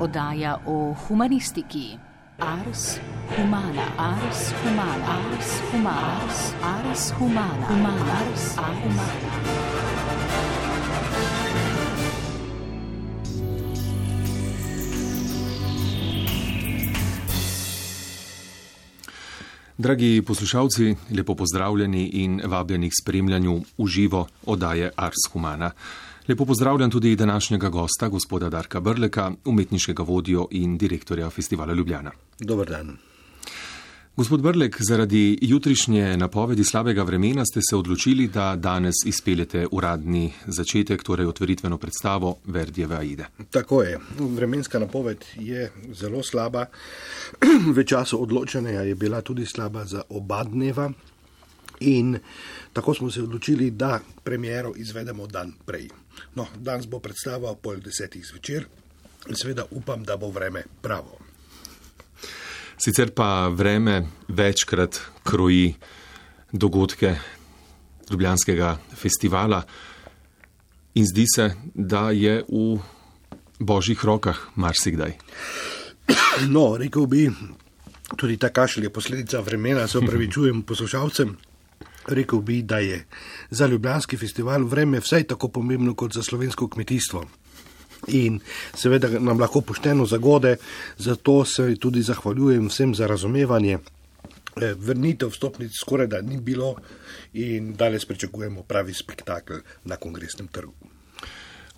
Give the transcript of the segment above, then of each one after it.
oddaja o humanistiki. Ars humana, ars humana, ars humana, ars humana, humana, ars humana. Dragi poslušalci, lepo pozdravljeni in vabljeni k spremljanju v živo oddaje Ars humana. Lepo pozdravljam tudi današnjega gosta, gospoda Darka Brleka, umetniškega vodjo in direktorja Festivala Ljubljana. Dober dan. Gospod Brlek, zaradi jutrišnje napovedi slabega vremena ste se odločili, da danes izpeljete uradni začetek, torej otvoritveno predstavo Verdijeve Aide. Tako je. Vremenska napoved je zelo slaba. V času odločanja je bila tudi slaba za oba dneva in tako smo se odločili, da premiero izvedemo dan prej. No, danes bo predstava ob 9:30 zvečer in seveda upam, da bo vreme pravo. Sicer pa vreme večkrat kroji dogodke Ljubljanskega festivala in zdi se, da je v božjih rokah marsikdaj. No, rekel bi, tudi ta kašelj je posledica vremena, se opravičujem poslušalcem. Rekel bi, da je za Ljubljanski festival vreme vsaj tako pomembno kot za slovensko kmetijstvo. In seveda nam lahko pošteno zagode, zato se tudi zahvaljujem vsem za razumevanje. Vrnitev vstopnic skoraj da ni bilo in danes pričakujemo pravi spektakel na Kongresnem trgu.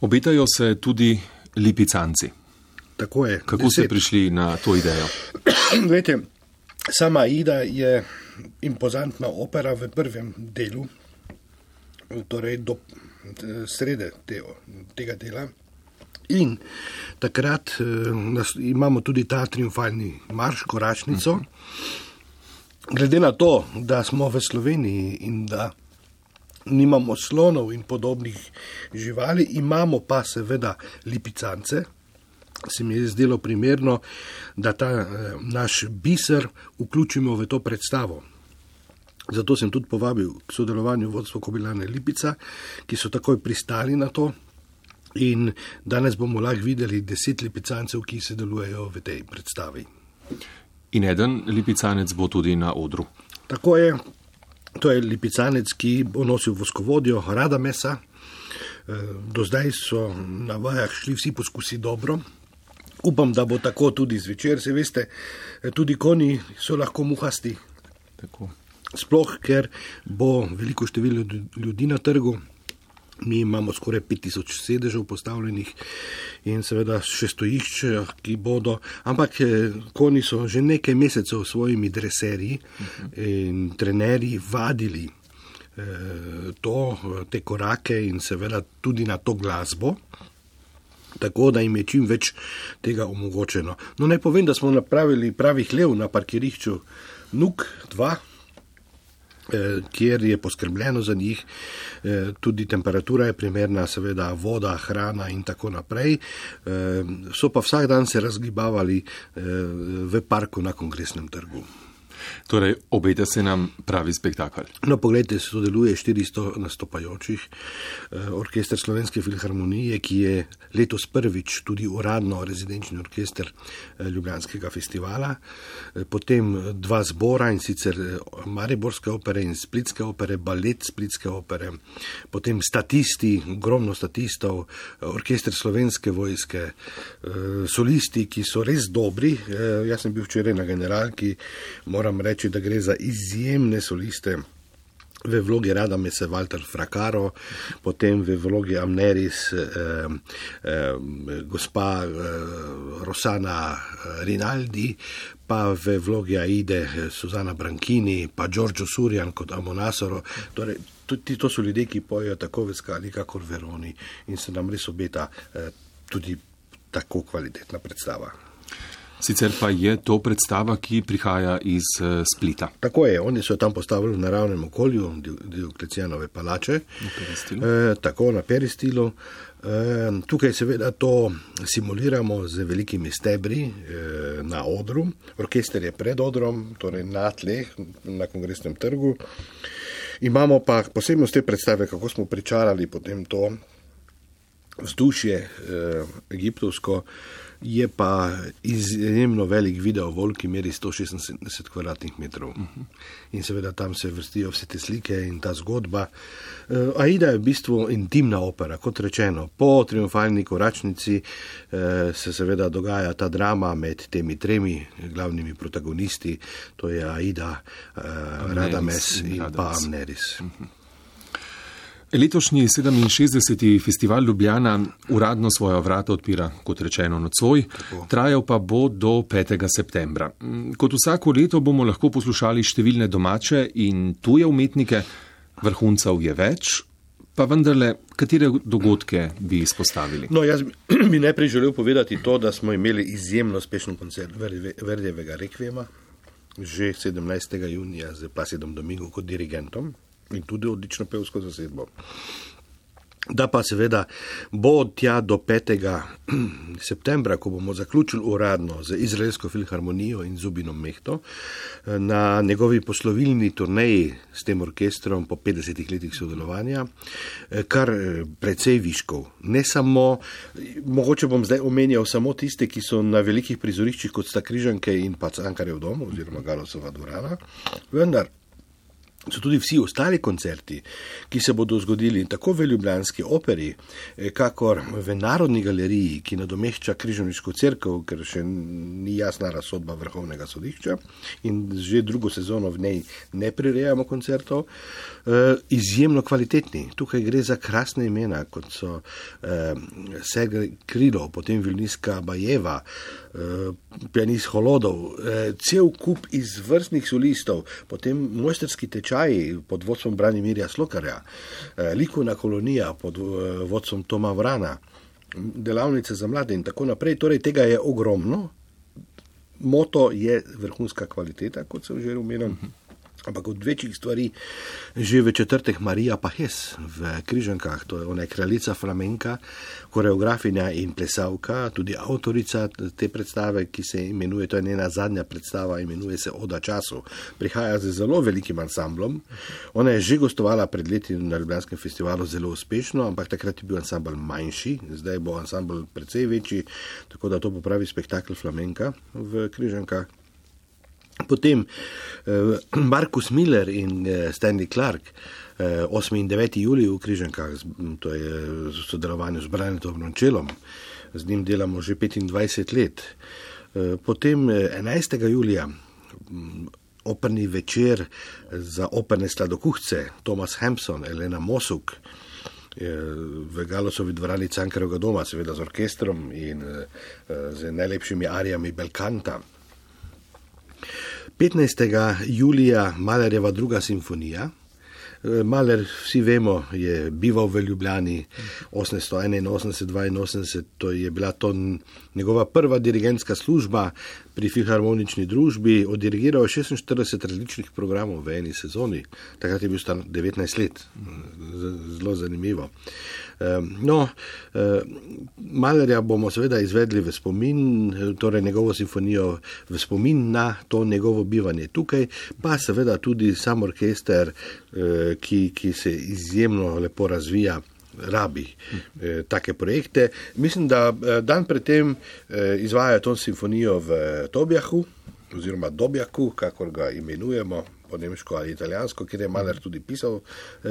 Obetajo se tudi lipicanci. Tako je. Kako ste prišli na to idejo? Glejte, sama Aida je impozantna opera v prvem delu, torej do srede tega dela. In takrat imamo tudi ta triumfalni marš, koračnico. Glede na to, da smo v Sloveniji in da nimamo slonov in podobnih živali, imamo pa seveda lipicance, se mi je zdelo primerno, da ta naš biser vključimo v to predstavo. Zato sem tudi povabil k sodelovanju vodstvo Kobilarne Lipica, ki so takoj pristali na to. In danes bomo lahko videli 10 lipicancev, ki se delujejo v tej predstavi. In eden lipicanec bo tudi na odru. Tako je. To je lipicanec, ki bo nosil voskovodjo Radamesa. Do zdaj so na vajah šli vsi poskusi dobro. Upam, da bo tako tudi zvečer. Se veste, tudi konji so lahko muhasti. Tako. Sploh, ker bo veliko število ljudi na trgu. Mi imamo skoraj 5000 sedežev postavljenih in seveda še stojišče, ki bodo, ampak konji so že nekaj mesecev s svojimi dreserji in trenerji vadili te korake in seveda tudi na to glasbo, tako da jim je čim več tega omogočeno. No, naj povem, da smo napravili pravi hlev na parkirišču Nuk 2, kjer je poskrbljeno za njih, tudi temperatura je primerna, seveda voda, hrana in tako naprej. So pa vsak dan se razgibavali v parku na Kongresnem trgu. Torej, obeta se nam pravi spektakel. No, poglejte, sodeluje 400 nastopajočih, orkester Slovenske filharmonije, ki je letos prvič tudi uradno rezidenčni orkester Ljubljanskega festivala, potem 2 zbora, in sicer Mariborske opere in Splitske opere, balet Splitske opere, potem statisti, ogromno statistov, orkester Slovenske vojske, solisti, ki so res dobri. Jaz sem bil včeraj na generalki, moram reči, da gre za izjemne soliste. V vlogi Radamesa Walter Fracaro, potem v vlogi Amneris gospa Rossana Rinaldi, pa v vlogi Aide Susana Branchini, pa Giorgio Surian kot Amonasoro. Torej, tudi to so ljudje, ki pojejo tako v Skali, kakor v Veroni, in se nam res obeta tudi tako kvalitetna predstava. Sicer pa je to predstava, ki prihaja iz Splita. Tako je, oni so tam postavili v naravnem okolju Dioklecijanove palače, tako na peristilu. Tukaj seveda to simuliramo z velikimi stebri na odru. Orkester je pred odrom, torej na tleh, na Kongresnem trgu. Imamo pa posebnost te predstave, kako smo pričarali potem to, vzdušje egiptovsko, je pa izjemno velik videovolk, ki meri 176 kvadratnih metrov. In seveda tam se vrstijo vse te slike in ta zgodba. Aida je v bistvu intimna opera, kot rečeno. Po triumfalni koračnici se seveda dogaja ta drama med temi tremi glavnimi protagonisti, to je Aida, Radames in pa Amneris. Letošnji 67. festival Ljubljana uradno svoja vrata odpira, kot rečeno, nocoj, trajal pa bo do 5. septembra. Kot vsako leto bomo lahko poslušali številne domače in tuje umetnike, vrhuncev je več, pa vendarle, katere dogodke bi izpostavili? No, jaz bi najprej želel povedati to, da smo imeli izjemno uspešen koncert Verdijevega rekviema, že 17. junija z Placidom Domingo kot dirigentom, in tudi odlično pevsko zasedbo. Da pa seveda bo tja do 5. septembra, ko bomo zaključili uradno z Izraelsko filharmonijo in Zubinom Mehto, na njegovi poslovilni turneji s tem orkestrom po 50 letih sodelovanja, kar precej viškov. Ne samo, mogoče bom zdaj omenjal samo tiste, ki so na velikih prizoriščih, kot sta Križanke in pa Cankarjev dom, oziroma Galosova dvorana, vendar so tudi vsi ostali koncerti, ki se bodo zgodili tako v ljubljanski operi, kakor v Narodni galeriji, ki nadomešča Križevniško cerkev, ker še ni jasna razsodba Vrhovnega sodišča in že drugo sezono v njej ne prirejamo koncertov, izjemno kvalitetni. Tukaj gre za krasne imena, kot so Sergej Krylov, potem violinska Bajeva, pianist Holodov, cel kup izvrstnih solistov, potem mojsterski tečaji pod vodstvom Branimirja Slokarja, likovna kolonija pod vodstvom Toma Vrana, delavnice za mlade in tako naprej. Torej, tega je ogromno. Moto je vrhunska kvaliteta, kot sem že omenil. Ampak od večjih stvari že v četrtek Marija Pahes v Križankah, to je ona kraljica flamenka, koreografinja in plesavka, tudi avtorica te predstave, ki se imenuje, to je njena zadnja predstava, imenuje se Oda času. Prihaja z zelo velikim ansamblom. Ona je že gostovala pred leti na Ljubljanskem festivalu zelo uspešno, ampak takrat je bil ansambl manjši, zdaj bo ansambl precej večji, tako da to bo pravi spektakel flamenka v Križankah. Potem Markus Miller in Stanley Clark, 8. in 9. julij v Križankah, to je v sodelovanju z Branetom Rončelom, z njim delamo že 25 let. Potem 11. julija operni večer za operne sladokuhce, Thomas Hampson, Elena Mosuk, v Galosovi dvorani Cankarjevega doma, seveda z orkestrom in z najlepšimi arijami Belkanta. 15. julija Mahlerjeva druga simfonija. Mahler, vsi vemo, je bival v Ljubljani 1881-82, to je bila to njegova prva dirigentska služba pri filharmonični družbi, oddirigiral 46 različnih programov v eni sezoni, takrat je bil star 19 let, zelo zanimivo. Mahlerja bomo seveda izvedli v spomin, torej njegovo simfonijo v spomin na to njegovo bivanje tukaj, pa seveda tudi sam orkester, ki se izjemno lepo razvija, rabi take projekte. Mislim, da dan predtem izvaja to simfonijo v Tobjahu, oziroma Dobjaku, kakor ga imenujemo po nemško ali italijansko, kjer je Mahler tudi pisal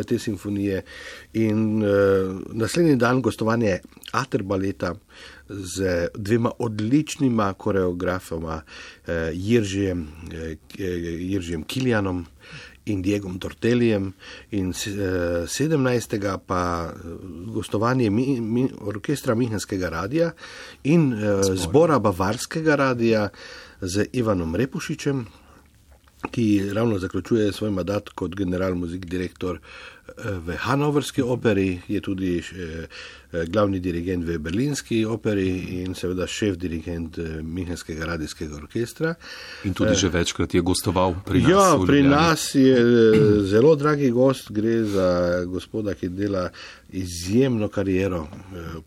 te simfonije. In naslednji dan gostovanje Aterbaleta z dvema odličnima koreografoma, Jiržijem Kilianom in Diegom Tortelijem, in 17. pa gostovanje orkestra Münchenskega radija in zbora Bavarskega radija z Ivanom Repušičem, ki ravno zaključuje svoj mandat kot general muzik direktor v Hanoverski operi, je tudi glavni dirigent v Berlinski operi in seveda šef dirigent Münchenskega radijskega orkestra. In tudi že večkrat je gostoval pri nas. Ja, pri nas je zelo dragi gost, gre za gospoda, ki dela izjemno kariero,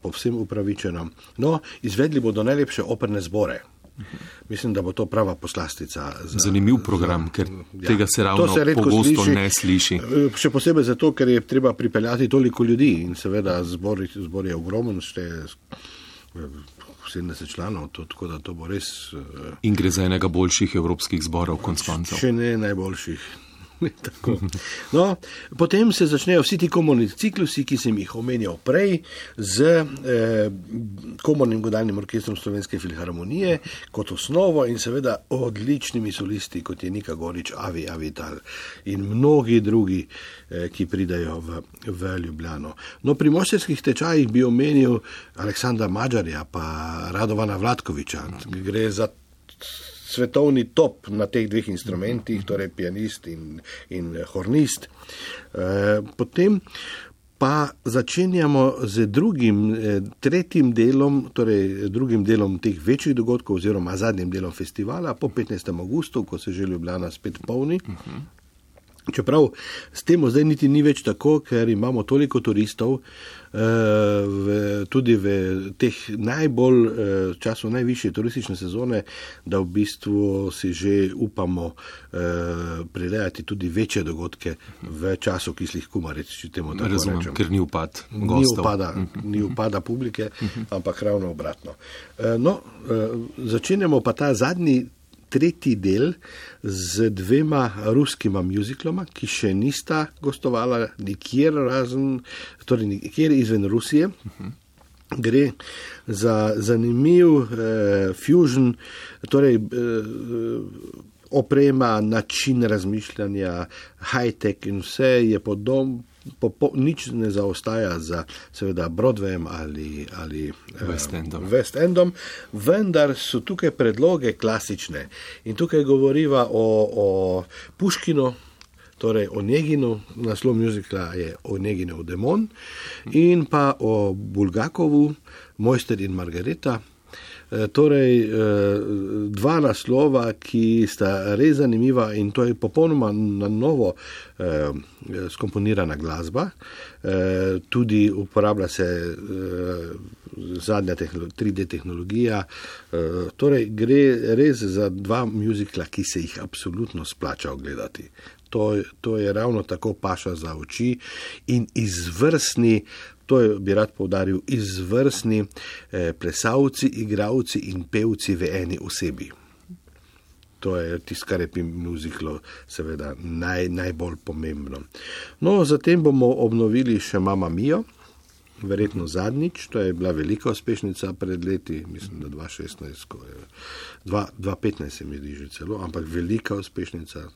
povsem upravičeno. No, izvedli bodo najlepše operne zbore. Mislim, da bo to prava poslastica. Zanimiv program, ker tega se ravno pogosto ne sliši. Še posebej zato, ker je treba pripeljati toliko ljudi in seveda zbor je ogromen, šteje 70 članov, tako da to bo res... In gre za enega boljših evropskih zborov konec koncev. Še ne najboljših. Tako. No, potem se začnejo vsi ti komorni ciklusi, ki sem jih omenjal prej, z komornim godalnim orkestrom Slovenske filharmonije kot osnovo in seveda odličnimi solisti, kot je Nika Gorič, Avi Avital in mnogi drugi, ki pridajo v Ljubljano. No, pri mojsterskih tečajih bi omenil Aleksandra Mađarja pa Radovana Vlatkoviča. Gre za svetovni top na teh dveh instrumentih, torej pianist in hornist. Potem pa začenjamo z tretjim delom, torej drugim delom teh večjih dogodkov oziroma zadnjim delom festivala po 15. augustu, ko se že Ljubljana spet polni. Čeprav s tem zdaj niti ni več tako, ker imamo toliko turistov, tudi v teh času najvišje turistične sezone, da v bistvu si že upamo prirejati tudi večje dogodke v času kislih kumaric, če temu tako rečem. Razumem, ker ni upad gostov. Ni upada publike, ampak ravno obratno. Začenjamo pa ta tretji del z dvema ruskima mjuzikloma, ki še nista gostovala nikjer nikjer izven Rusije. Gre za zanimiv fusion, torej oprema, način razmišljanja, high-tech in vse je nič ne zaostaja za seveda Broadwayem ali West Endom, vendar so tukaj predloge klasične in tukaj govoriva o Puškinu, torej o Neginu, naslov mjuzikla je Oneginov demon, in pa o Bulgakovu, Mojster in Margareta. Torej, dva naslova, ki sta res zanimiva in to je popolnoma na novo skomponirana glasba. Tudi uporablja se zadnja 3D tehnologija. Torej, gre res za dva mjuzikla, ki se jih absolutno splača ogledati. To je ravno tako paša za oči in izvrstni, to bi rad poudaril, izvrstni plesalci, igravci in pevci v eni osebi. To je tisto, kar je pri mjuziklu seveda najbolj pomembno. No, zatem bomo obnovili še Mamma Mio, verjetno zadnjič, to je bila velika uspešnica pred leti, mislim, da 2016, 2015 se mi zdi že celo, ampak velika uspešnica,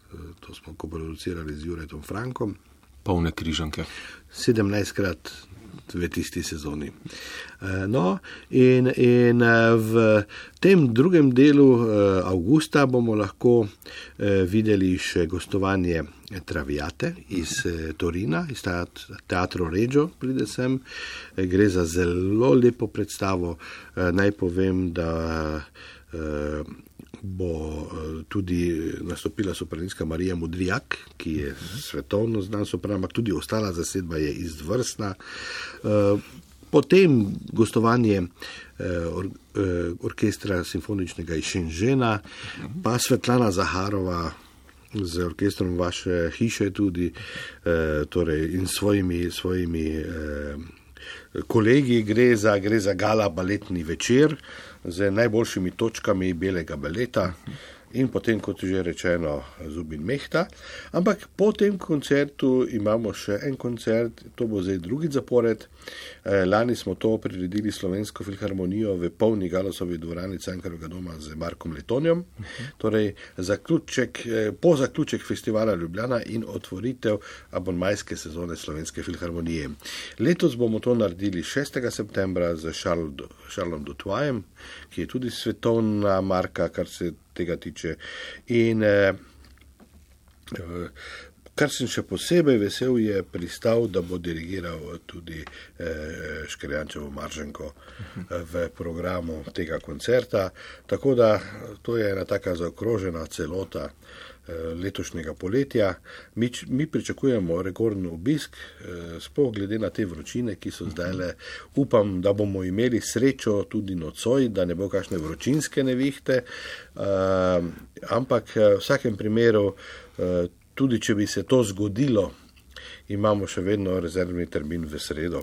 to smo koproducirali z Juretom Frankom. Polne križanke. 17krat v tisti sezoni. No, in v tem drugem delu avgusta bomo lahko videli še gostovanje Traviate iz Torina, iz Teatro Regio pride sem. Gre za zelo lepo predstavo. Naj povem, da bo tudi nastopila sopranistka Marija Modrijak, ki je svetovno znan sopran, ampak tudi ostala zasedba je izvrstna. Potem gostovanje orkestra simfoničnega iz Šenžena, pa Svetlana Zaharova z orkestrom vaše hiše tudi, torej in svojimi kolegi. Gre za gala baletni večer z najboljšimi točkami belega baleta in potem, kot že rečeno, Zubin Mehta. Ampak po tem koncertu imamo še en koncert, to bo zdaj drugi zapored. Lani smo to priredili Slovensko filharmonijo v polni Galosovi dvorani Cankarjevega doma z Markom Letonjom. Torej, po zaključek festivala Ljubljana in otvoritev abonmajske sezone Slovenske filharmonije. Letos bomo to naredili 6. septembra z Charlesom Dutoyem, ki je tudi svetovna marka, kar se tega tiče. In Kar sem še posebej vesel, je pristal, da bo dirigiral tudi Škrjančevo Marženko v programu tega koncerta. Tako da to je ena taka zaokrožena celota letošnjega poletja. Mi pričakujemo rekorden obisk, sploh glede na te vročine, ki so zdajle. Upam, da bomo imeli srečo tudi nocoj, da ne bo kakšne vročinske nevihte, ampak v vsakem primeru, tudi če bi se to zgodilo, imamo še vedno rezervni termin v sredo,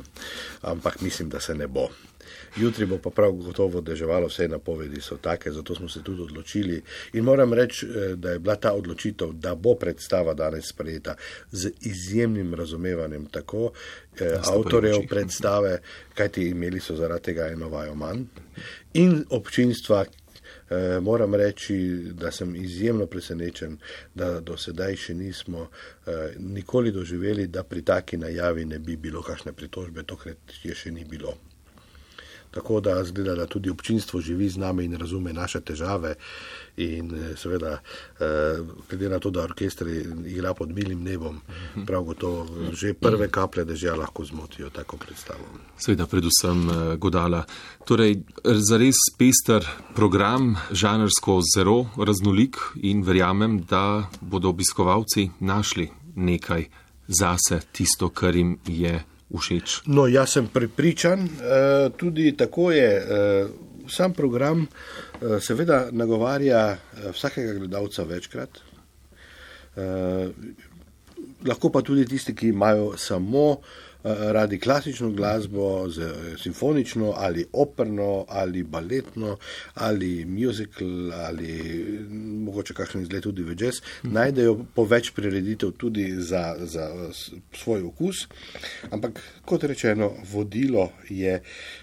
ampak mislim, da se ne bo. Jutri bo pa prav gotovo deževalo, vse napovedi so take, zato smo se tudi odločili. In moram reči, da je bila ta odločitev, da bo predstava danes sprejeta z izjemnim razumevanjem tako avtorjev predstave, kajti imeli so zaradi tega eno vajo manj, in občinstva. Moram reči, da sem izjemno presenečen, da do sedaj še nismo nikoli doživeli, da pri taki najavi ne bi bilo kakšne pritožbe, tokrat je še ni bilo. Tako da zgleda, da tudi občinstvo živi z nami in razume naše težave in seveda, glede na to, da orkester igra pod milim nebom, prav gotovo že prve kaplje dežja lahko zmotijo tako predstavo. Seveda, predvsem godala. Torej, zares pester program, žanrsko zelo raznolik in verjamem, da bodo obiskovalci našli nekaj zase, tisto, kar jim je všeč. No, jaz sem prepričan, tudi tako je, sam program seveda nagovarja vsakega gledalca večkrat, lahko pa tudi tisti, ki imajo samo radi klasično glasbo, simfonično ali operno ali baletno ali musical ali mogoče kakšen izgled tudi v jazz, najdejo po več prireditev tudi za svoj okus, ampak kot rečeno, vodilo je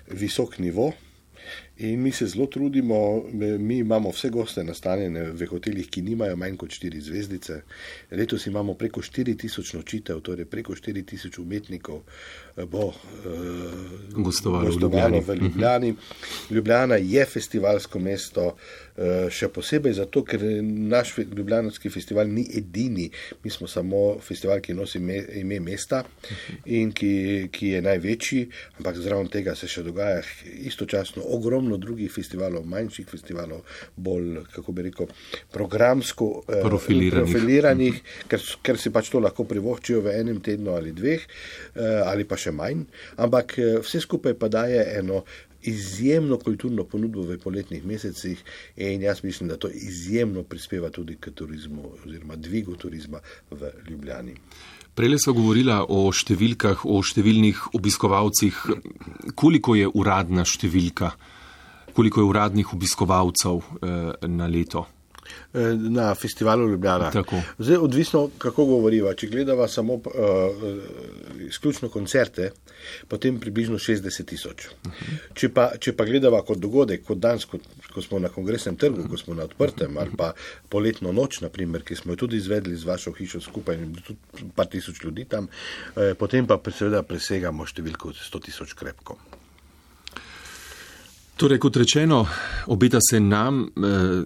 visok nivo. In mi se zelo trudimo, mi imamo vse goste nastanjene v hotelih, ki nimajo manj kot 4 zvezdice. Letos imamo preko 4000 nočitev, torej preko 4000 umetnikov bo gostovalo v Ljubljani. Ljubljana je festivalsko mesto, še posebej zato, ker naš ljubljanski festival ni edini. Mi smo samo festival, ki nosi ime mesta in ki je največji, ampak zraven tega se še dogaja istočasno ogromno drugih festivalov, manjših festivalov, bolj, kako bi rekel, programsko profiliranih, ker si pač to lahko privoščijo v enem tednu ali dveh, ali pa še manj, ampak vse skupaj pa daje eno izjemno kulturno ponudbo v poletnih mesecih in jaz mislim, da to izjemno prispeva tudi k turizmu oziroma dvigu turizma v Ljubljani. Prejle so govorila o številkah, o številnih obiskovalcih. Koliko je uradna številka? Koliko je uradnih obiskovalcev na leto? Na festivalu Ljubljana. Tako. Zdaj, odvisno, kako govoriva. Če gledava samo izključno koncerte, potem približno 60 000. Če pa gledava kot dogodek, kot danes, ko smo na Kongresnem trgu, ko smo na odprtem, ali pa poletno noč, naprimer, ki smo jo tudi izvedli z vašo hišo skupaj, tudi par tisoč ljudi tam, potem pa seveda presegamo številko 100 000 krepko. Torej, kot rečeno, obeta se nam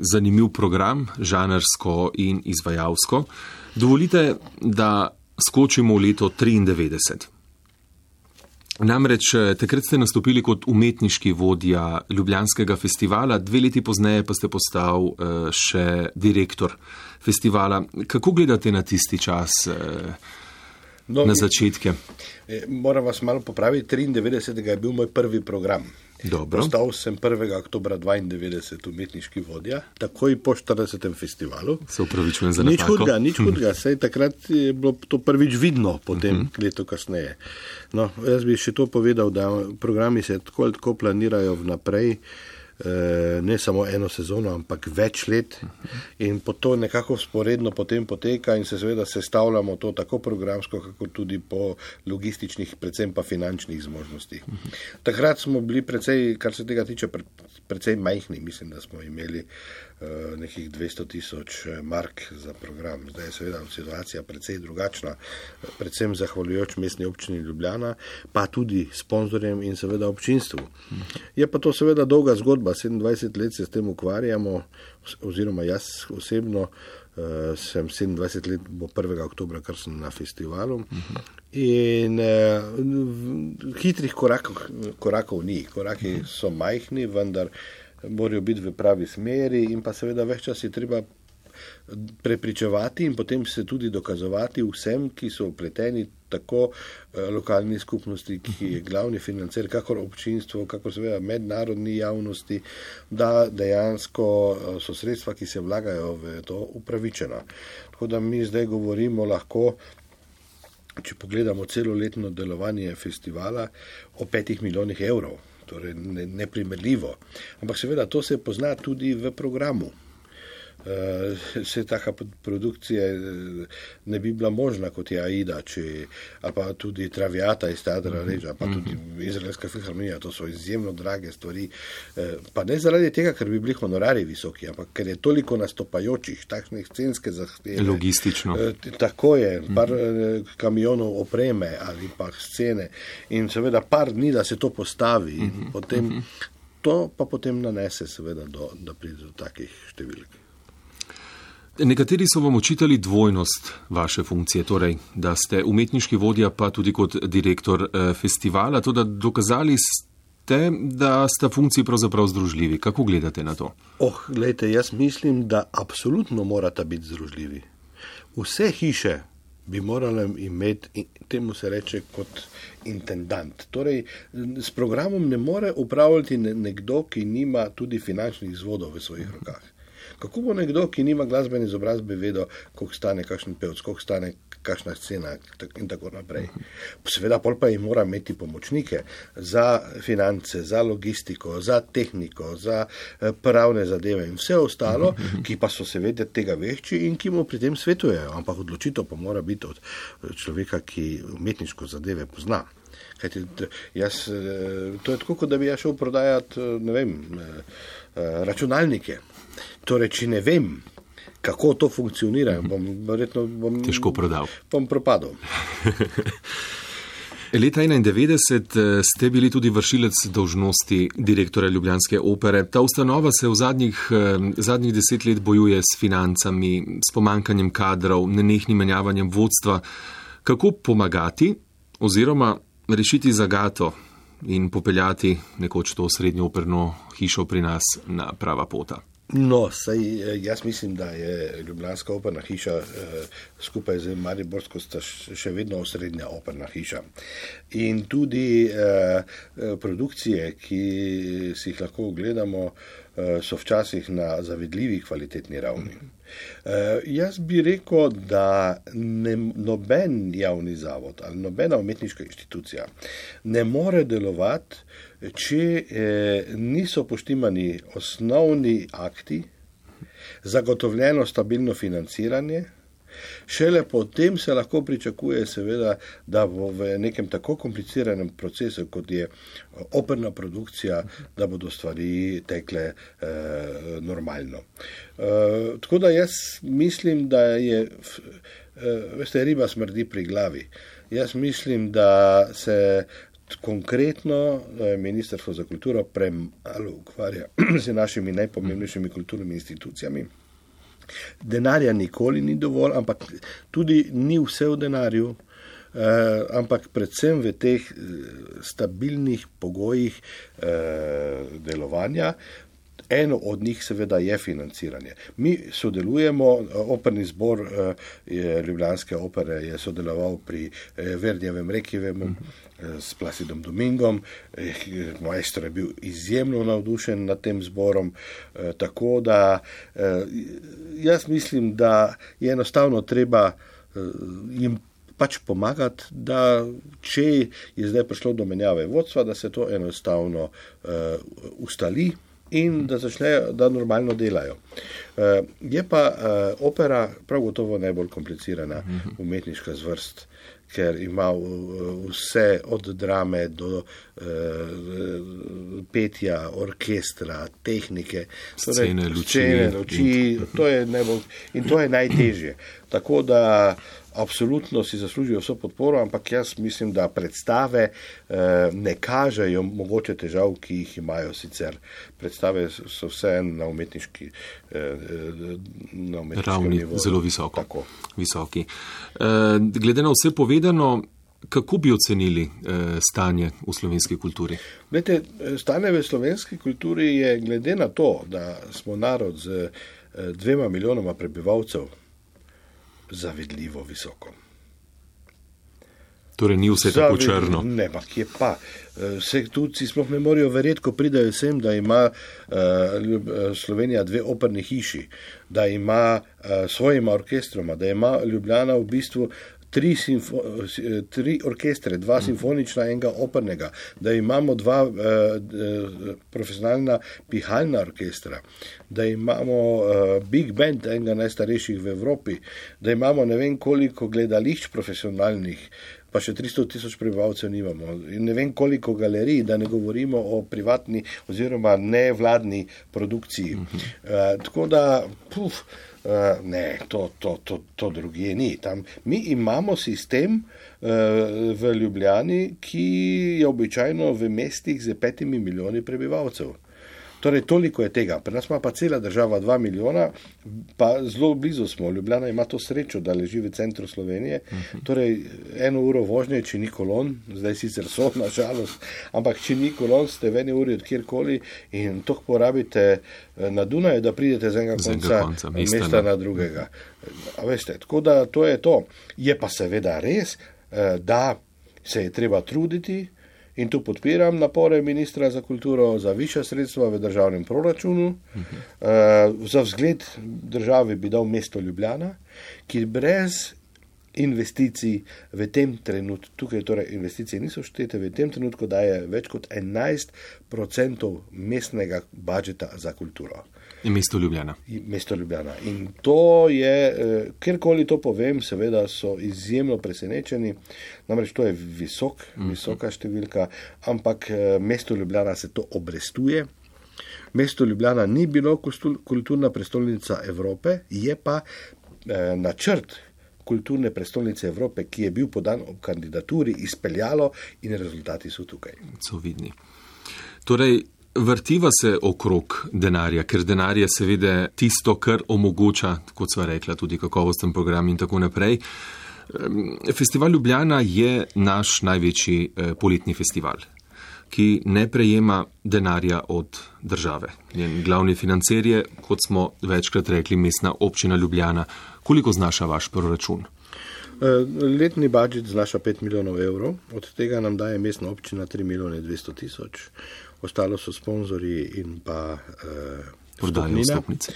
zanimiv program, žanrsko in izvajalsko. Dovolite, da skočimo v leto 1993. Namreč, takrat ste nastopili kot umetniški vodja Ljubljanskega festivala, 2 leti pozneje pa ste postal še direktor festivala. Kako gledate na tisti čas, na začetke? Moram vas malo popraviti, 93. je bil moj prvi program. Dobro. Postal sem 1. oktobra 92 umetniški vodja, takoj po 40. festivalu. Se upravičujem za napako. Nič hudega, saj takrat je bilo to prvič vidno, potem leto kasneje. No, jaz bi še to povedal, da programi se tako planirajo vnaprej, ne samo eno sezono, ampak več let in po to nekako sporedno potem poteka in se seveda sestavljamo to tako programsko, kako tudi po logističnih, predvsem pa finančnih zmožnostih. Takrat smo bili precej, kar se tega tiče, precej majhni, mislim, da smo imeli nekih 200 000 mark za program. Zdaj je seveda situacija precej drugačna, predvsem zahvaljujoč Mestni občini Ljubljana, pa tudi sponzorjem in seveda občinstvu. Je pa to seveda dolga zgodba, 27 let se s tem ukvarjamo, oziroma jaz osebno, sem 27 let, bo 1. oktobra, kar sem na festivalu. In hitrih korakov ni. Koraki so majhni, vendar morajo biti v pravi smeri in pa seveda več čas je treba prepričevati in potem se tudi dokazovati vsem, ki so vpleteni, tako lokalni skupnosti, ki je glavni financer, kakor občinstvo, kakor seveda mednarodni javnosti, da dejansko so sredstva, ki se vlagajo v to, upravičena. Tako da mi zdaj govorimo lahko, če pogledamo celoletno delovanje festivala, o 5 milijonih evrov, torej neprimerljivo. Ampak seveda to se pozna tudi v programu. Se taka produkcija ne bi bila možna, kot je Aida, ali pa tudi Traviata iz Teatra Regia, pa tudi Izraelska filharmonija, to so izjemno drage stvari, pa ne zaradi tega, ker bi bili honorari visoki, ampak ker je toliko nastopajočih, takšne scenske zahteve. Logistično. Tako je, par kamionov opreme ali pa scene in seveda par dni, da se to postavi in potem, to pa potem nanese seveda, da pride do takih številk. Nekateri so vam očitali dvojnost vaše funkcije, torej, da ste umetniški vodja, pa tudi kot direktor festivala, to da dokazali ste, da sta funkciji pravzaprav združljivi. Kako gledate na to? Glejte, jaz mislim, da absolutno morata biti združljivi. Vse hiše bi morale imeti, temu se reče kot intendant. Torej, s programom ne more upravljati nekdo, ki nima tudi finančnih vzvodov v svojih rokah. Kako bo nekdo, ki nima glasbene izobrazbe, vedel, koliko stane kakšen pevec, koliko stane kakšna scena in tako naprej. Seveda pol pa jim mora imeti pomočnike za finance, za logistiko, za tehniko, za pravne zadeve in vse ostalo, ki pa so seveda tega vešči in ki mu pri tem svetujejo. Ampak odločitev pa mora biti od človeka, ki umetniško zadeve pozna. Kajti, to je tako, kot da bi jaz šel prodajati, ne vem, računalnike. Torej, če ne vem, kako to funkcionira, bom težko prodal. Bom propadal. Leta 1991 ste bili tudi vršilec dolžnosti direktorja ljubljanske opere. Ta ustanova se v zadnjih 10 let bojuje s financami, s pomankanjem kadrov, nenehnim menjavanjem vodstva. Kako pomagati oziroma rešiti zagato in popeljati nekoč to srednjo operno hišo pri nas na prava pota? Jaz mislim, da je ljubljanska operna hiša skupaj z mariborsko sta še vedno srednja operna hiša. In tudi produkcije, ki si jih lahko ogledamo, so včasih na zavidljivi kvalitetni ravni. Jaz bi rekel, da noben javni zavod ali nobena umetniška inštitucija ne more delovati, če niso poštimani osnovni akti, zagotovljeno stabilno financiranje, šele potem se lahko pričakuje seveda, da bo v nekem tako kompliciranem procesu, kot je operna produkcija, da bodo stvari tekle normalno. Tako da jaz mislim, da je, riba smrdi pri glavi. Jaz mislim, da se konkretno Ministrstvo za kulturo premalo ukvarja z našimi najpomembnejšimi kulturnimi institucijami. Denarja nikoli ni dovolj, ampak tudi ni vse v denarju, ampak predvsem v teh stabilnih pogojih delovanja. Eno od njih seveda je financiranje. Mi sodelujemo, operni zbor ljubljanske opere je sodeloval pri Verdijevem Requiemu s Placidom Domingom, maestro je bil izjemno navdušen nad tem zborom, tako da jaz mislim, da je enostavno treba jim pač pomagati, da če je zdaj prišlo do menjave vodstva, da se to enostavno ustali in da normalno delajo. Je pa opera prav gotovo najbolj komplicirana umetniška zvrst, ker ima vse od drame do petja, orkestra, tehnike, scene, luči, to je najbolj in to je najtežje. Tako da absolutno si zaslužijo vso podporo, ampak jaz mislim, da predstave ne kažejo mogoče težav, ki jih imajo sicer. Predstave so vse na umetniški ravni nivoju. Zelo visoki. Glede na vse povedano, kako bi ocenili stanje v slovenski kulturi? Glede, stanje v slovenski kulturi je glede na to, da smo narod z 2 milijonoma prebivalcev, zavidljivo visoko. Torej ni vse tako črno. Ne, pa kje pa. Vse tujci sploh ne morajo verjeti, ko pridajo sem, da ima Slovenija 2 operni hiši, da ima svojima orkestroma, da ima Ljubljana v bistvu 3 orkestre, 2 simfonična, enega opernega, da imamo 2 profesionalna pihalna orkestra, da imamo Big Band, enega najstarejših v Evropi, da imamo ne vem koliko gledališč profesionalnih, pa še 300,000 prebivalcev nimamo. In ne vem koliko galerij, da ne govorimo o privatni oziroma nevladni produkciji. Tako da, ne, to drugje ni. Tam mi imamo sistem v Ljubljani, ki je običajno v mestih z 5 milijoni prebivalcev. Torej, toliko je tega. Pri nas ima pa cela država 2 milijona, pa zelo blizu smo. Ljubljana ima to srečo, da leži v centru Slovenije. Torej, 1 uro vožnje, če ni kolon, zdaj sicer so, na žalost, ampak če ni kolon, ste v 1 uri od kjerkoli in toliko porabite na Dunaju, da pridete z enega konca mesta na drugega. A veste, tako da to je to. Je pa seveda res, da se je treba truditi, in tu podpiram napore ministra za kulturo za višja sredstva v državnem proračunu. Za vzgled državi bi dal mesto Ljubljana, ki brez investicij v tem trenutku, tukaj torej investicije niso štete, v tem trenutku daje več kot 11% mestnega budžeta za kulturo. In mesto Ljubljana. Mesto Ljubljana. In to je, kjerkoli to povem, seveda so izjemno presenečeni, namreč to je visoka številka, ampak mesto Ljubljana se to obrestuje. Mesto Ljubljana ni bilo kulturna prestolnica Evrope, je pa načrt kulturne prestolnice Evrope, ki je bil podan ob kandidaturi, izpeljalo in rezultati so tukaj. So vidni. Torej, vrtiva se okrog denarja, ker denar je seveda tisto, kar omogoča, kot sva rekla, tudi kakovosten program in tako naprej. Festival Ljubljana je naš največji poletni festival, ki ne prejema denarja od države. Njen glavni financer je, kot smo večkrat rekli, Mestna občina Ljubljana. Koliko znaša vaš proračun? Letni budžet znaša 5 milijonov evrov, od tega nam daje Mestna občina 3 milijone 200 tisoč, ostalo so sponzorji in pa vstopnice.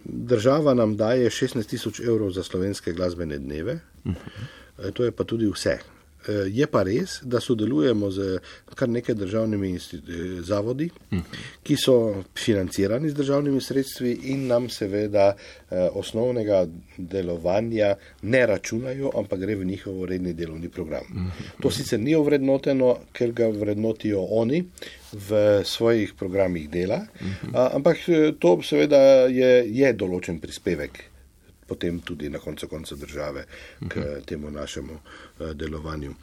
Država nam daje 16 tisoč evrov za slovenske glasbene dneve, to je pa tudi vse. Je pa res, da sodelujemo z kar nekaj državnimi zavodi, ki so financirani z državnimi sredstvi in nam seveda osnovnega delovanja ne računajo, ampak gre v njihov redni delovni program. To sicer ni ovrednoteno, ker ga vrednotijo oni v svojih programih dela, ampak to seveda je določen prispevek potem tudi na koncu države k temu našemu delovanju.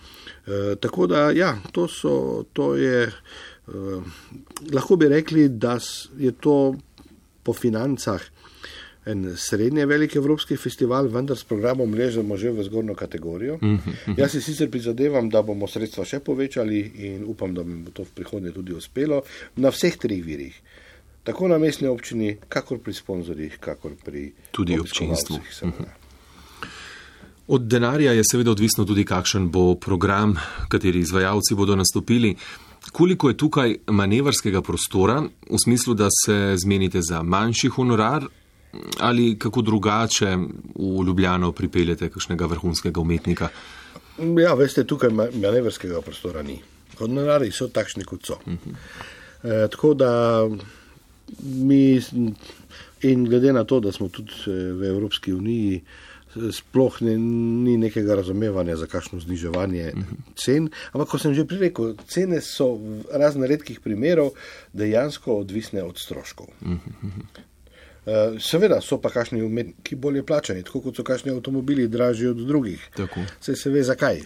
Tako da, ja, to je, lahko bi rekli, da je to po financah en srednje velik evropski festival, vendar s programom ležemo že v zgornjo kategorijo. Jaz si sicer prizadevam, da bomo sredstva še povečali in upam, da mi bo to v prihodnje tudi uspelo na vseh 3 virih. Tako na mestni občini, kakor pri sponzorjih, kakor pri tudi občinstvu. Od denarja je seveda odvisno tudi, kakšen bo program, kateri izvajalci bodo nastopili. Koliko je tukaj manevrskega prostora, v smislu, da se zmenite za manjši honorar ali kako drugače v Ljubljano pripeljete kakšnega vrhunskega umetnika? Ja, veste, tukaj manevrskega prostora ni. Honorari so takšni, kot so. Tako da mi, in glede na to, da smo tudi v Evropski uniji, sploh ni nekega razumevanja za kakšno zniževanje cen, ampak ko sem že prirekel, cene so v razne redkih primerov dejansko odvisne od stroškov. Seveda so pa kakšni umetniki bolje plačani, tako kot so kakšni avtomobili dražji od drugih. Tako. Se ve zakaj.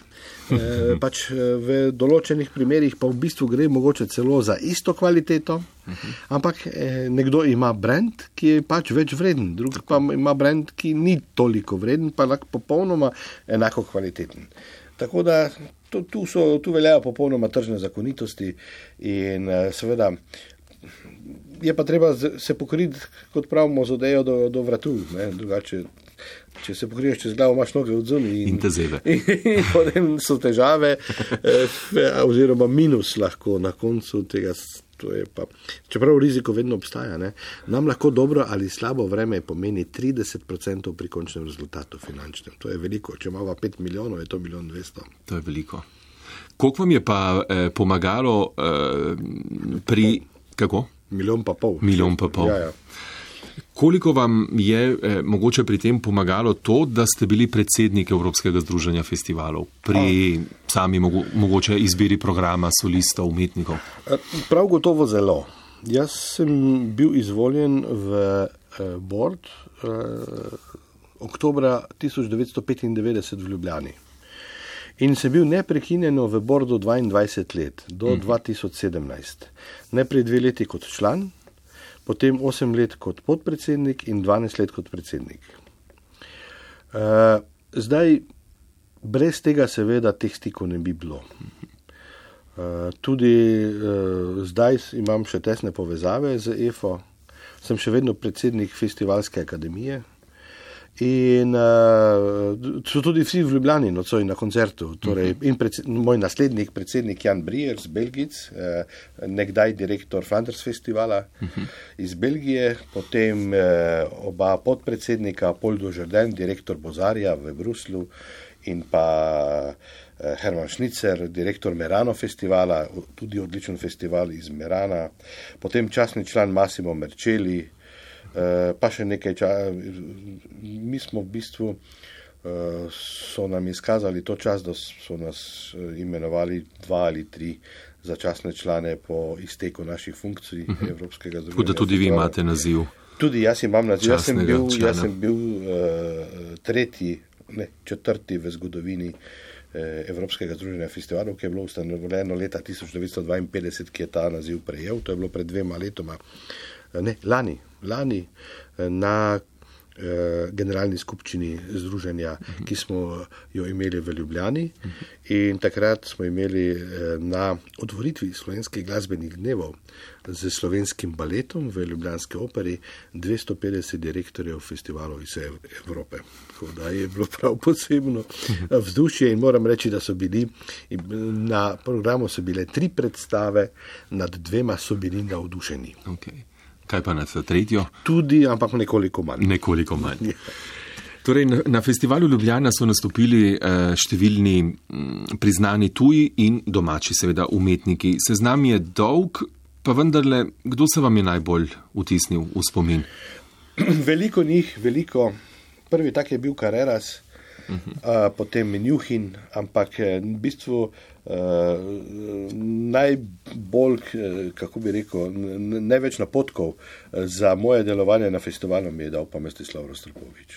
Pač v določenih primerjih pa v bistvu gre mogoče celo za isto kvaliteto, ampak nekdo ima brand, ki je pač več vreden, drug pa ima brand, ki ni toliko vreden, pa lahko popolnoma enako kvaliteten. Tako da tu veljajo popolnoma tržne zakonitosti in seveda je pa treba se pokriti, kot pravimo, z odejo do vratu. Ne? Drugače, če se pokriješ čez glavo, imaš noge od zunaj in te zebe. In potem so težave, oziroma minus lahko na koncu tega. To je pa, čeprav riziko vedno obstaja, ne? Nam lahko dobro ali slabo vreme pomeni 30% pri končnem rezultatu finančnem. To je veliko. Če imamo 5 milijonov, je to 1 200 000. To je veliko. Koliko vam je pa pomagalo pri... Kako? 1,5 milijona. 1,5 milijona. Ja. Koliko vam je mogoče pri tem pomagalo to, da ste bili predsednik Evropskega združenja festivalov pri sami mogoče izbiri programa, solistov, umetnikov? Prav gotovo zelo. Jaz sem bil izvoljen v board oktobra 1995 v Ljubljani. In sem bil neprekinjeno v bordu 22 let, do 2017. Najprej 2 leti kot član, potem 8 let kot podpredsednik in 12 let kot predsednik. Zdaj, brez tega seveda teh stikov ne bi bilo. Tudi zdaj imam še tesne povezave z EFO, sem še vedno predsednik Festivalske akademije. In so tudi vsi v Ljubljani nocoj na koncertu. Torej, in moj naslednik, predsednik Jan Brier z Belgic, nekdaj direktor Flanders festivala iz Belgije, potem oba podpredsednika, Paul Dujardin, direktor Bozarja v Bruslu in pa Herman Schnitzer, direktor Merano festivala, tudi odličen festival iz Merana, potem častni član Massimo Mercelli, pa še nekaj mi smo v bistvu, so nam izkazali to čas, da so nas imenovali 2 ali 3 začasne člane po izteku naših funkcij Evropskega združenja. Tako da tudi vi imate naziv. Tudi jaz imam naziv. Jaz sem bil 4. v zgodovini Evropskega združenja festivalov, ki je bilo ustanovljeno leta 1952, ki je ta naziv prejel. To je bilo pred 2 letoma. Lani na generalni skupščini združenja, ki smo jo imeli v Ljubljani, in takrat smo imeli na otvoritvi slovenskih glasbenih dnevov z slovenskim baletom v Ljubljanski operi 250 direktorjev festivalov iz Evrope. Tako da je bilo prav posebno vzdušje in moram reči, da so bili na programu so bile 3 predstave, nad 2 so bili navdušeni. Okay. Kaj pa nad 3? Tudi, ampak nekoliko manj. Nekoliko manj. Torej, na festivalu Ljubljana so nastopili številni priznani tuji in domači seveda umetniki. Seznam je dolg, pa vendarle, kdo se vam je najbolj vtisnil v spomin? Veliko njih, veliko. Prvi tak je bil Carreras, potem Menjuhin, ampak v bistvu najbolj, kako bi rekel, največ napotkov za moje delovanje na festivalu mi je dal pa Mstislav Rostropovič.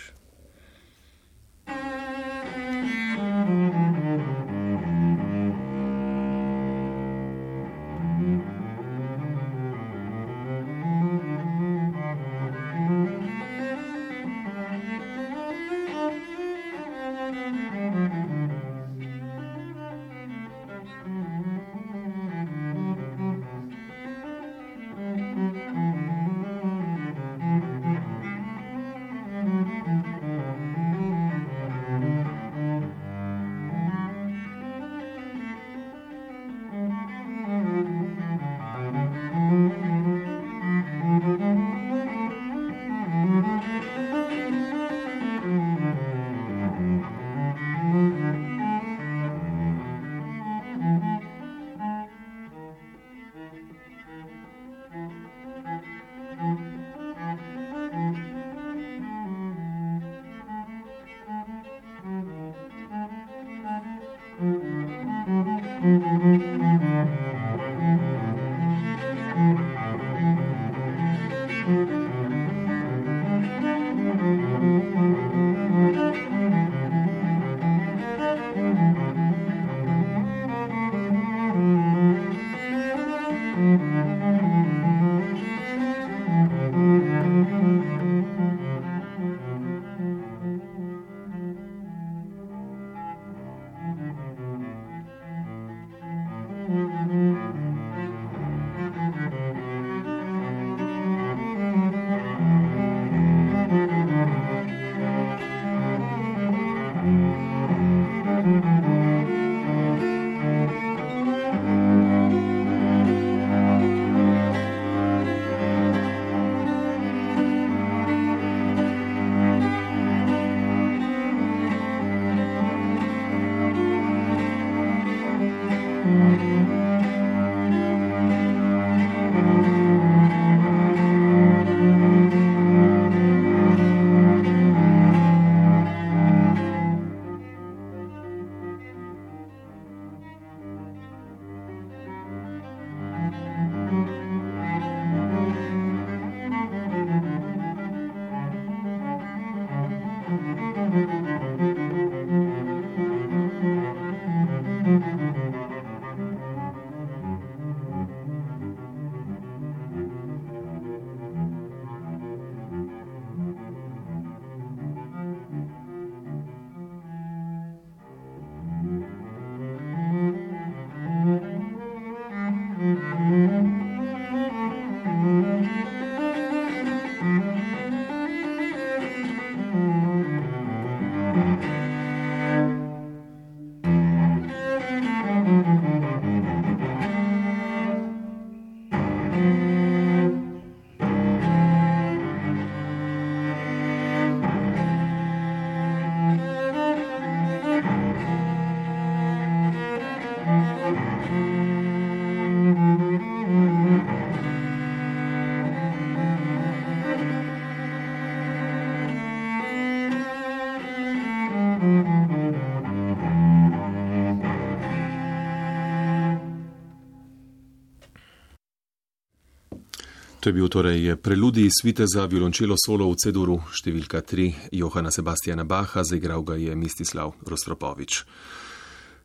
To je bil torej preludij svite za violončelo solo v C-duru številka 3 Johana Sebastiana Bacha, zaigral ga je Mistislav Rostropovič.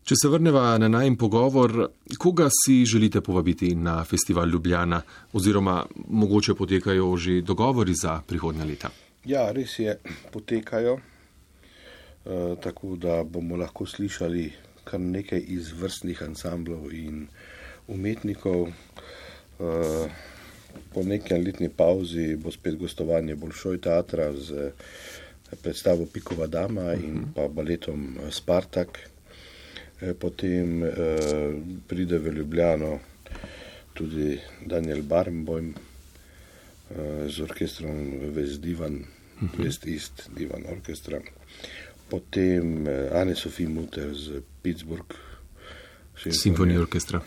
Če se vrneva na najin pogovor, koga si želite povabiti na festival Ljubljana oziroma mogoče potekajo že dogovori za prihodnja leta? Ja, res je, potekajo, tako da bomo lahko slišali kar nekaj izvrstnih ansamblov in umetnikov. Po nekaj letni pauzi bo spet gostovanje Bolšoj teatra z predstavo Pikova dama in pa baletom Spartak. Potem pride v Ljubljano tudi Daniel Barenboim z orkestrom West Divan, West East Divan orkestra. Potem Anne-Sophie Mutter z Pittsburgh Simfonija orkestra.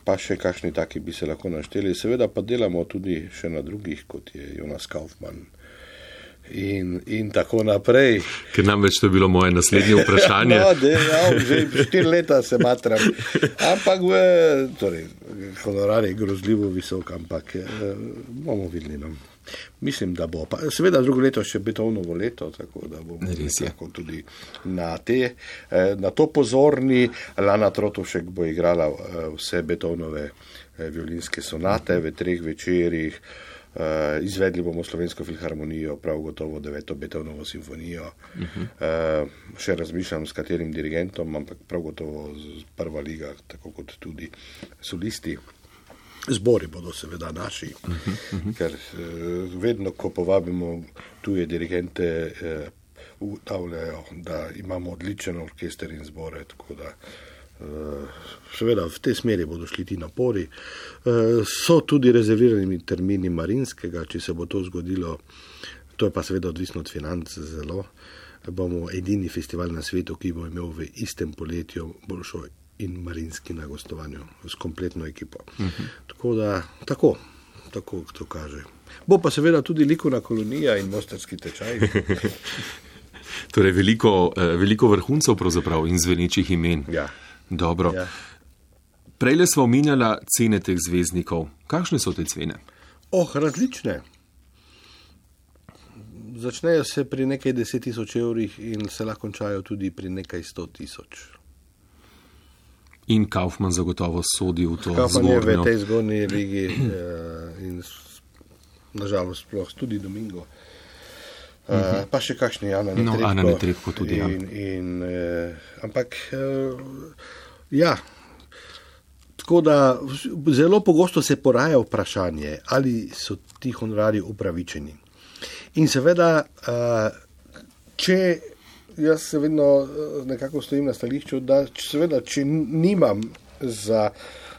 Pa še kakšni taki bi se lahko našteli. Seveda pa delamo tudi še na drugih, kot je Jonas Kaufmann in tako naprej. Ker namreč to je bilo moje naslednje vprašanje. Že 4 leta se matram. Ampak honorar je grozljivo visok, ampak bomo videli. Mislim, da bo. Pa, seveda drugo leto še Beethovnovo leto, tako da bomo lahko tudi na to pozorni. Lana Trotovšek bo igrala vse Beethovnove violinske sonate v 3 večerih. Izvedli bomo Slovensko filharmonijo, prav gotovo 9. Beethovnovo simfonijo. Še razmišljam, s katerim dirigentom, ampak prav gotovo prva liga, tako kot tudi solisti. Zbori bodo seveda naši, ker vedno, ko povabimo tuje dirigente, ugotavljajo, da imamo odličen orkester in zbore, tako da seveda v tej smeri bodo šli ti napori. So tudi rezervirani termini Marinskega, če se bo to zgodilo, to je pa seveda odvisno od financ zelo. Bomo edini festival na svetu, ki bo imel v istem poletju Bolšoj in Marinski na gostovanju s kompletno ekipo. Tako da, tako to kaže. Bo pa seveda tudi likovna kolonija in mostarski tečaj. Torej veliko vrhuncev pravzaprav in zvenečih imen. Ja. Dobro. Ja. Prejle sva omenjala cene teh zvezdnikov. Kakšne so te cene? Različne. Začnejo se pri nekaj 10,000 evrih in se lahko končajo tudi pri nekaj 100,000. In Kaufmann zagotovo sodi v to Kaufmann zgornjo. Kaufmann je v tej zgornji ligi in nažalost sploh tudi Domingo. Pa še kakšni Ana Netrebko. Ana Netrebko tudi, ampak ja, tako da zelo pogosto se poraja vprašanje, ali so ti honorarji upravičeni. In seveda, jaz se vedno nekako stojim na stališču, da seveda, če nimam za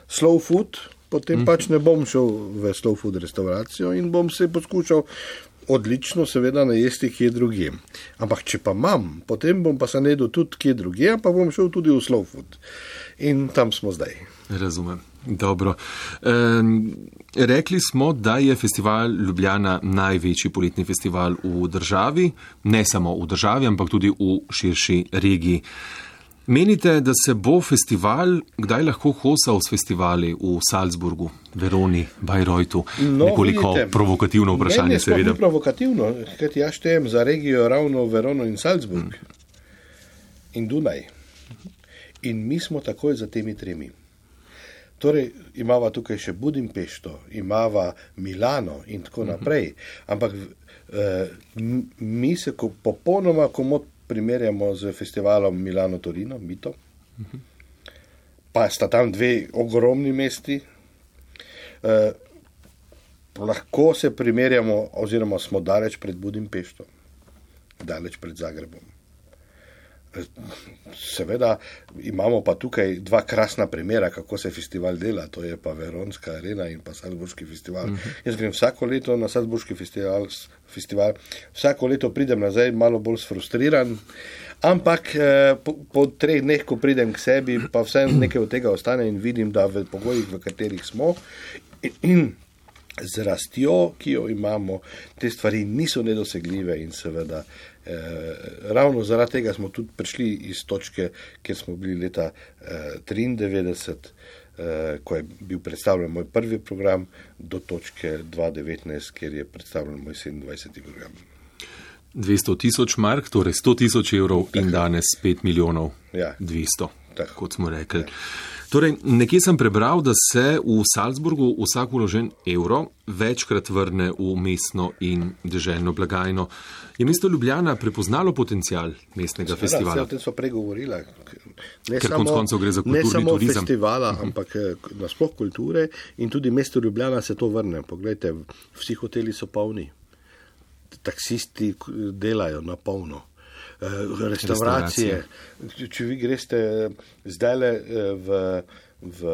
slow food, potem pač ne bom šel v slow food restauracijo in bom se poskušal odlično seveda najesti kje drugje. Ampak če pa imam, potem bom pa se najedel tudi kje drugje, pa bom šel tudi v slow food. In tam smo zdaj. Razumem. Dobro. Rekli smo, da je festival Ljubljana največji poletni festival v državi, ne samo v državi, ampak tudi v širši regiji. Menite, da se bo festival kdaj lahko kosal s festivali v Salzburgu, Veroni, Bayreuthu? Nekoliko provokativno vprašanje, seveda. Ne, provokativno, ker jaz štejem za regijo ravno Verono in Salzburg in Dunaj. In mi smo takoj za temi 3. Torej, imava tukaj še Budimpešto, imava Milano in tako naprej, ampak mi se popolnoma komot primerjamo z festivalom Milano-Torino, Mito, pa sta tam 2 ogromni mesti. Lahko se primerjamo, oziroma smo daleč pred Budimpešto, daleč pred Zagrebom. Seveda imamo pa tukaj 2 krasna primera, kako se festival dela, to je pa Veronska arena in pa Salzburški festival. Jaz grem vsako leto na Salzburški festival, vsako leto pridem nazaj malo bolj sfrustriran, ampak po 3 dneh, ko pridem k sebi, pa vse nekaj od tega ostane in vidim, da v pogojih, v katerih smo in z rastjo, ki jo imamo, te stvari niso nedosegljive in seveda ravno zaradi tega smo tudi prišli iz točke, kjer smo bili leta 93, ko je bil predstavljen moj prvi program, do točke 2019, kjer je predstavljen moj 27. program. 200 tisoč mark, torej 100 tisoč evrov in danes 5 milijonov 200, kot smo rekli. Torej, nekje sem prebral, da se v Salzburgu vsak vložen evro večkrat vrne v mestno in deželno blagajno. Je mesto Ljubljana prepoznalo potencial mestnega festivala? O tem smo pregovorili. Ker konec koncev gre za kulturni turizem. Ne samo festivala, ampak nasploh kulture in tudi mesto Ljubljana se to vrne. Poglejte, vsi hoteli so polni. Taksisti delajo na polno. Restauracije. Če vi greste zdajle v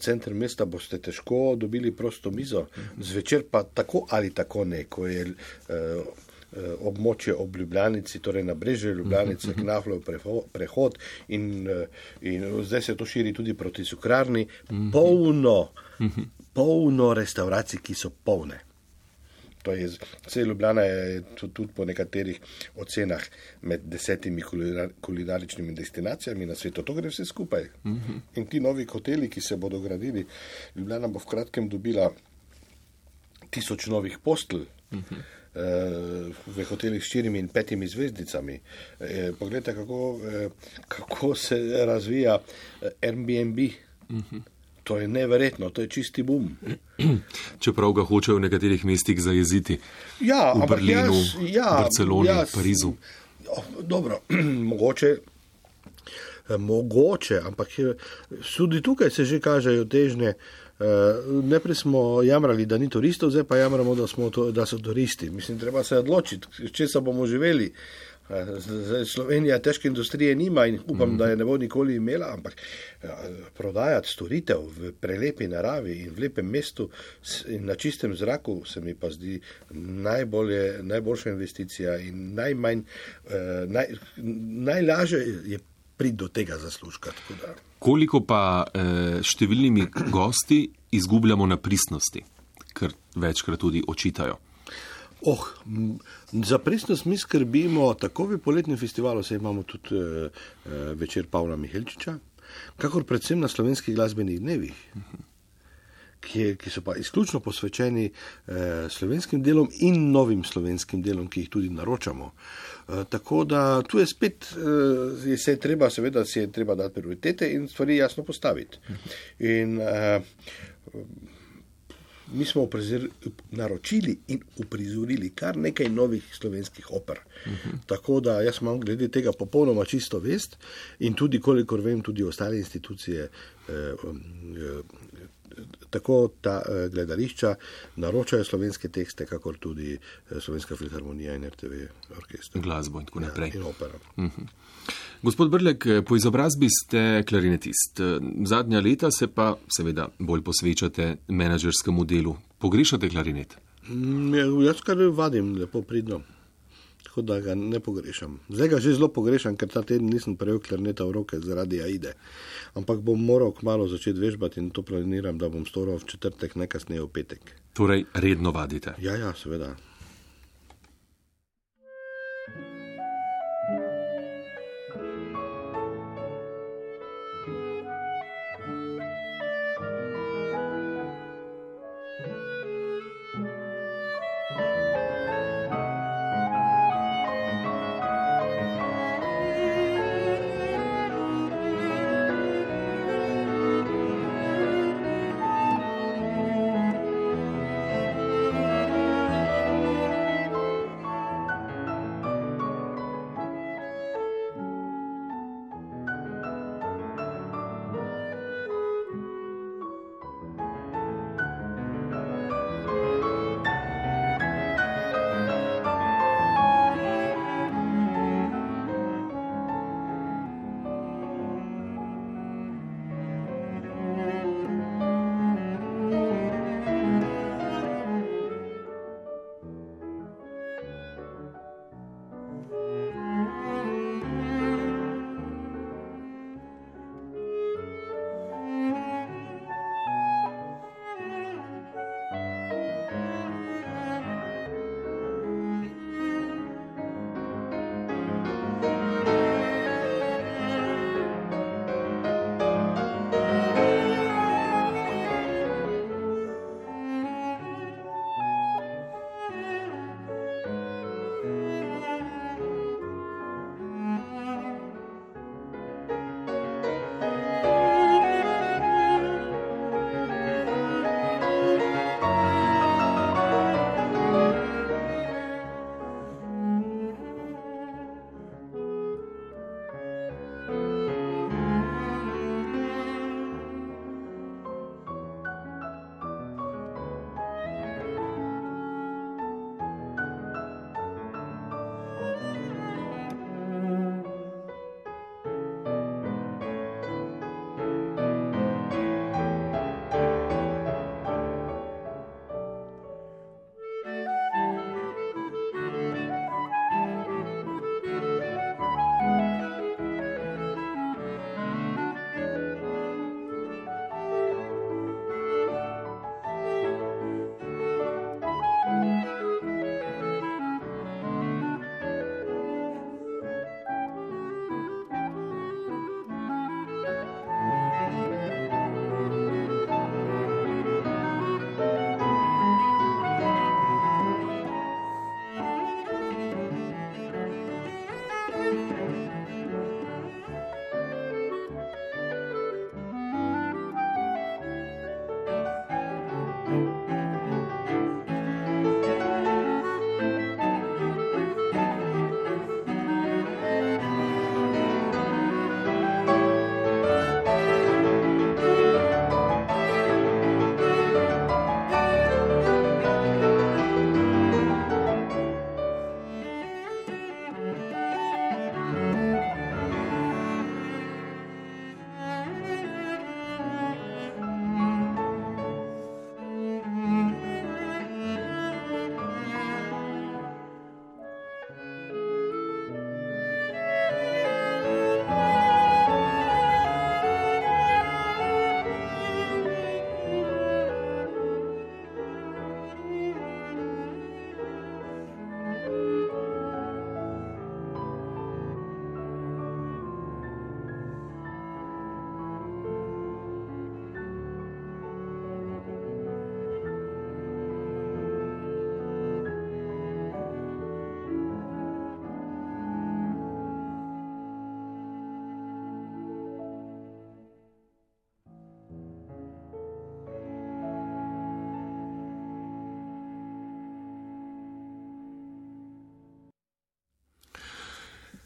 center mesta, boste težko dobili prosto mizo. Zvečer pa tako ali tako ne, ko je območje ob Ljubljanici, torej na brežju Ljubljanice, Knahlov prehod in zdaj se to širi tudi proti Cukrarni. Polno restauracij, ki so polne. Vse Ljubljana je tudi po nekaterih ocenah med 10 kulinaričnimi destinacijami na svetu. To gre vse skupaj. In ti novi hoteli, ki se bodo gradili, Ljubljana bo v kratkem dobila 1000 novih postelj v hotelih s 4 in 5 zvezdicami. Poglejte, kako se razvija Airbnb. To je neverjetno, to je čisti boom. Čeprav ga hočejo v nekaterih mestih zajeziti. V Berlinu, Barceloni, Parizu. Dobro, mogoče, ampak tudi tukaj se že kažejo težnje. Najprej smo jamrali, da ni turistov, zdaj pa jamramo, da so turisti. Mislim, treba se odločiti, če se bomo živeli. Slovenija težke industrije nima in upam, da je ne bo nikoli imela, ampak prodajati storitev v prelepi naravi in v lepem mestu in na čistem zraku se mi pa zdi najboljša investicija in najlažje je priti do tega zaslužka. Koliko pa številnimi gosti izgubljamo na pristnosti, kar večkrat tudi očitajo? Za pristnost mi skrbimo tako v poletnem festivalu, saj imamo tudi večer Pavla Mihelčiča, kakor predvsem na slovenskih glasbenih dnevih, ki so pa izključno posvečeni slovenskim delom in novim slovenskim delom, ki jih tudi naročamo. Tako da tu je spet, se je treba dati prioritete in stvari jasno postaviti. In mi smo naročili in uprizorili kar nekaj novih slovenskih oper. Tako da jaz imam glede tega popolnoma čisto vest in tudi, kolikor vem, tudi ostale institucije, tako ta gledališča naročajo slovenske tekste, kakor tudi Slovenska filharmonija in RTV orkester. Glasbo in tako naprej. In opera. Gospod Brlek, po izobrazbi ste klarinetist. Zadnja leta se pa seveda bolj posvečate menedžerskemu delu. Pogrešate klarinet? Jaz kar vadim lepo pridno, tako da ga ne pogrešam. Zdaj ga že zelo pogrešam, ker ta teden nisem prejel klarineta v roke zaradi Aide. Ampak bom moral kmalu začeti vežbati in to planiram, da bom storil v četrtek, najkasneje v petek. Torej redno vadite? Ja, seveda.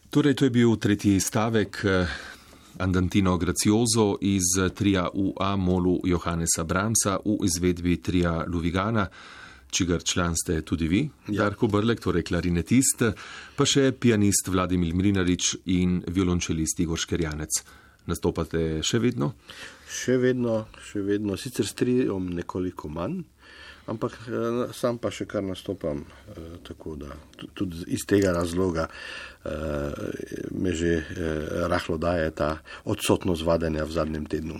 Torej, to je bil tretji stavek Andantino Grazioso iz tria UA Molu Johannesa Brahmsa v izvedbi tria Luvigana, čigar član ste tudi vi, Darko Brlek, torej klarinetist, pa še pianist Vladimir Mlinarič in violončelist Igor Škerjanec. Nastopate še vedno? Še vedno, sicer s triom nekoliko manj, ampak sam pa še kar nastopam, tako da tudi iz tega razloga me že rahlo daje ta odsotnost vadenja v zadnjem tednu.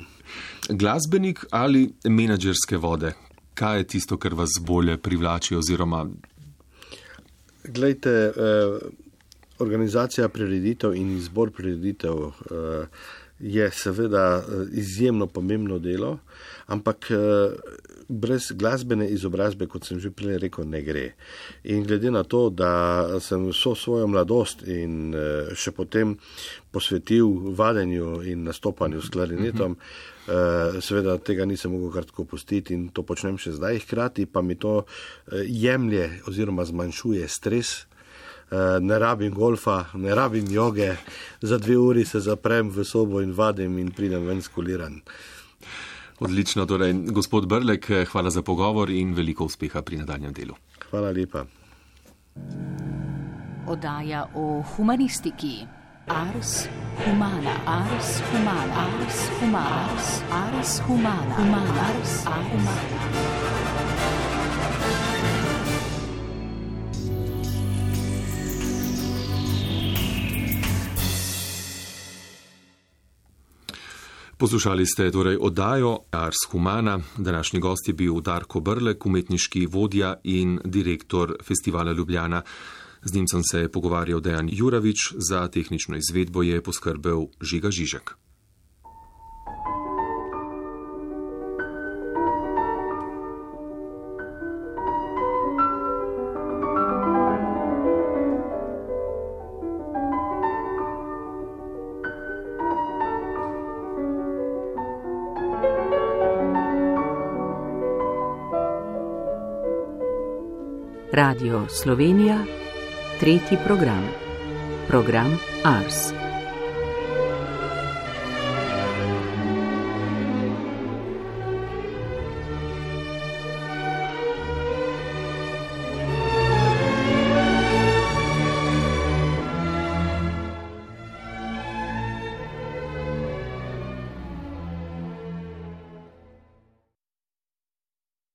Glasbenik ali menadžerske vode? Kaj je tisto, kar vas bolje privlači oziroma? Glejte, organizacija prireditev in izbor prireditev je seveda izjemno pomembno delo, ampak brez glasbene izobrazbe, kot sem že prej rekel, ne gre. In glede na to, da sem vso svojo mladost in še potem posvetil vadenju in nastopanju s klarinetom, seveda tega nisem mogel kar tako pustiti in to počnem še zdaj, hkrati pa mi to jemlje oziroma zmanjšuje stres. Ne rabim golfa, ne rabim joge, za 2 uri se zaprem v sobo in vadim in pridem ven skuliran. Odlično, torej, gospod Brlek, hvala za pogovor in veliko uspeha pri nadaljnjem delu. Hvala lepa. Oddaja o humanistiki. Ars humana, ars humana, ars humana, ars humana, ars humana. Poslušali ste torej oddajo Ars humana. Današnji gost je bil Darko Brlek, umetniški vodja in direktor Festivala Ljubljana. Z njim sem se pogovarjal Dejan Juravič, za tehnično izvedbo je poskrbel Žiga Žižek. Radio Slovenija, tretji program. Program Ars.